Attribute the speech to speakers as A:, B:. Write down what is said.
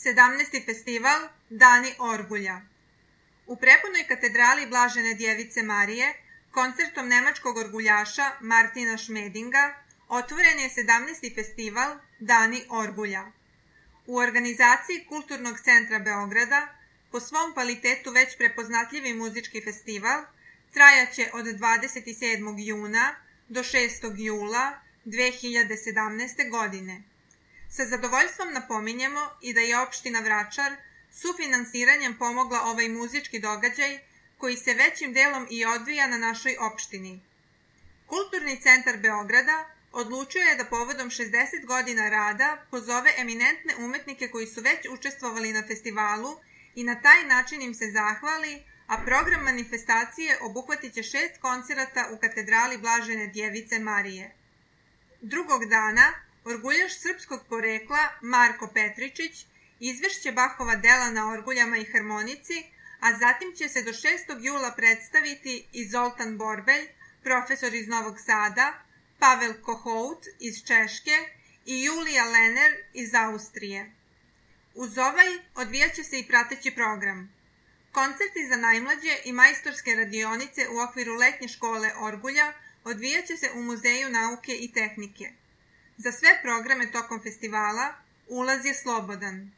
A: 17. festival Dani Orgulja. U prepunoj katedrali Blažene Djevice Marije, koncertom nemačkog orguljaša Martina Šmedinga, otvoren je 17. festival Dani Orgulja. U organizaciji Kulturnog centra Beograda, po svom kvalitetu već prepoznatljivi muzički festival, trajaće od 27. juna do 6. jula 2017. godine. Sa zadovoljstvom napominjemo i da je opština Vračar sufinansiranjem pomogla ovaj muzički događaj koji se većim delom i odvija na našoj opštini. Kulturni centar Beograda odlučio je da povodom 60 godina rada pozove eminentne umetnike koji su već učestvovali na festivalu i na taj način im se zahvali, a program manifestacije obuhvatit će 6 koncerata u katedrali Blažene Djevice Marije. Drugog dana orguljaš srpskog porekla Marko Petričić izvešće Bahova dela na orguljama i harmonici, a zatim će se do 6. jula predstaviti i Zoltan Borbelj, profesor iz Novog Sada, Pavel Kohout iz Češke i Julija Lener iz Austrije. Uz ovaj odvijat će se i prateći program. Koncerti za najmlađe i majstorske radionice u okviru letnje škole Orgulja odvijat će se u Muzeju nauke i tehnike. Za sve programe tokom festivala ulaz je slobodan.